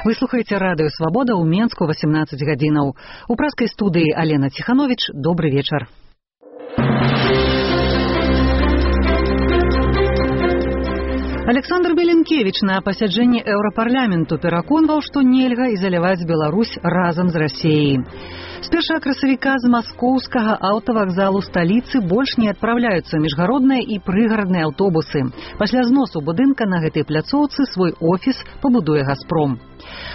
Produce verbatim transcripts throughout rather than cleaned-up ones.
Вы слухаеце радыё «Свабода» ў Менску восемнадцать гадзінаў. У праскай студыі Алена Ціхановіч. Добры вечар. Александр Беленкевич на пасяджэнні Еўрапарламенту пераконваў, што нельга ізаляваць Беларусь разам з Расіяй. З першага красавіка з маскоўскага аўтавакзалу сталіцы больш не адпраўляюцца міжгародныя і прыгарадныя аўтобусы. Пасля зносу будынка на гэтай пляцоўцы свой офіс пабудуе «Газпром».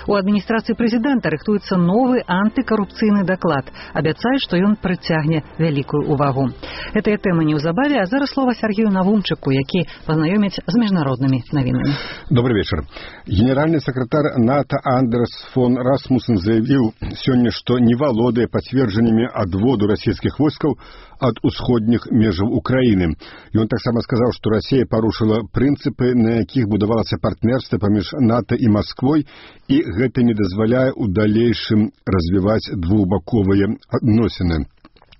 У адміністрацыі прэзідэнта рыхтуецца новы антыкарупцыйны даклад. Абяцаюць, што ён прыцягне вялікую увагу. Гэтая тэма неўзабаве, а зараз слова Сергею Навумчыку, які пазнаёміць з міжнароднымі навінамі. Добрый вечер. Генеральный секретарь НАТО Андерс фон Расмуссен заявил сегодня, что не валодае пацверджаннями адводу российских войскаў от усходних межаў Украины. И он так само сказал, что Россия порушила принципы, на якіх будавалася партнерство паміж НАТО и Москвой, и гэта не дазваляе у далейшым развивать двухбаковые адносіны.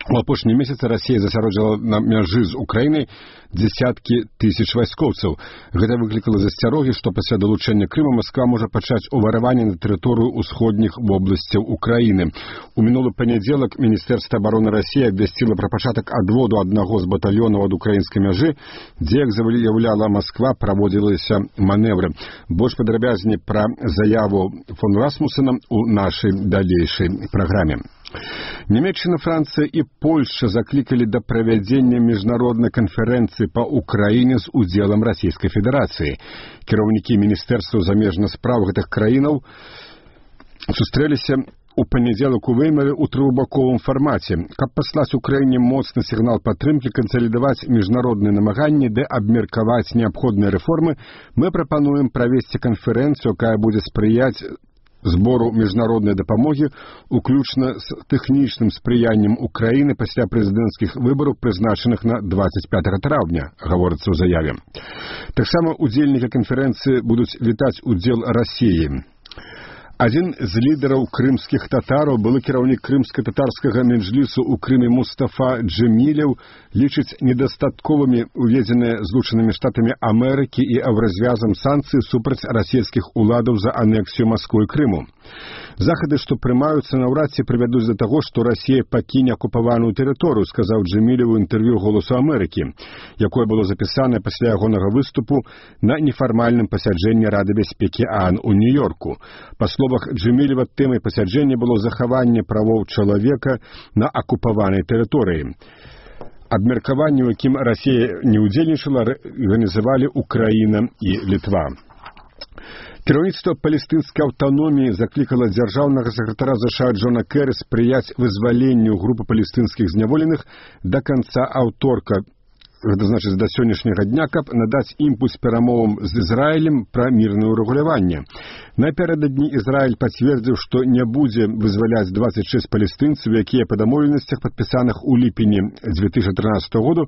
У апошнія месяцы Расія засяроджала на мяжы з Украінай дзесяткі тысяч вайскоўцаў. Гэта выклікала засцярогі, што пасля далучэння Крыма Масква можа пачаць увараванне на тэрыторыю ўсходніх вобласцяў Украіны. У мінулы панядзелак Міністэрства абароны Расіі абвясціла пра пачатак адводу аднаго з батальёнаў ад украінскай мяжы, дзе, як заяўляла Масква, праводзіліся маневры. Больш падрабязней пра заяву фон Расмуссена у нашай далейшай праграме. Нямецчына, Францыя і Польша заклікалі да правядзення міжнароднай канферэнцыі па Украіне з удзелам Расійскай Федэрацыі. Кіраўнікі міністэрстваў замежных спраў гэтых краінаў сустрэліся у панядзелак у Веймары ў трохбаковым фармаце, каб паслаць Украіне моцны сігнал падтрымкі, кансалідаваць міжнародныя намаганні ды абмеркаваць неабходныя рэформы. Мы прапануем правесці канферэнцыю, якая будзе спрыяць збору міжнароднай дапамогі, уключна з тэхнічным спрыяннем Украіны пасля прэзідэнцкіх выбараў, прызначаных на двадцать пятого траўня, гаворыцца ў заяве. Таксама удзельнікі канферэнцыі будуць вітаць удзел Расіі. Адзін з лідараў крымскіх татараў, былы кіраўнік крымска-татарскага меджлісу ў Крыме Мустафа Джемілеў, лічыць недастатковымі уведзеныя Злучанымі Штатамі Амерыкі і развязам санкцый супраць расійскіх уладаў за анексію Масквы і Крыму. Захады, што прымаюцца, наўрад ці прывядуць да таго, што Расія пакіне акупаваную тэрыторыю, сказаў Джемілеў у інтэрв'ю «Голосу Амерыкі», якое было запісанае пасля ягонага выступу на нефармальным пасяджэнні Рады бяспекі ААН у Нью-Йорку. Па словах Джемілева, тэмай пасяджэння было захаванне правоў чалавека на акупаванай тэрыторыі. Абмеркаванне, у якім Расія не ўдзельнічала, арганізавалі Украіна і Літва. Кіраўніцтва палестынскай аўтаноміі заклікала дзяржаўнага сакратара ЗША Джона Кэры спрыяць вызваленню групы палестынскіх зняволеных да канца аўторка, гэта значыць да сённяшняга дня, каб надаць імпульс перамовам з Ізраілем пра мірнае ўрэгуляванне. Напярэдадні Ізраіль пацвердзіў, што не будзе вызваляць двадцать шесть палестынцаў, якія па дамоўленасцях, падпісаных у ліпені две тысячи тринадцатого году,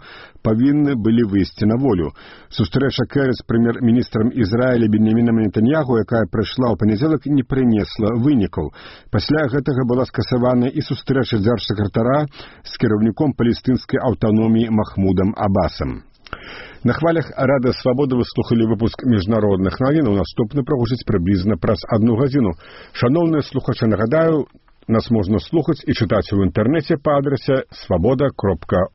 павінны былі выйсці на волю. Сустрэча Кэры з прэм'ер-міністрам Ізраіля Беньямінам Нетаньяху, якая прайшла ў панядзелак, не прынесла вынікаў. Пасля гэтага была скасавана і сустрэча дзяржсакратара з кіраўніком палестынскай аўтаноміі Махмудам Абасам. На хвалях Радыё Свабода вы слухали выпуск міжнародных навінаў. Наступны прагучыць прыблізна праз адну гадзіну. Шаноўныя слухачы, нагадаю, нас можна слухаць і чытаць у інтэрнэце па адрасе свабода кропка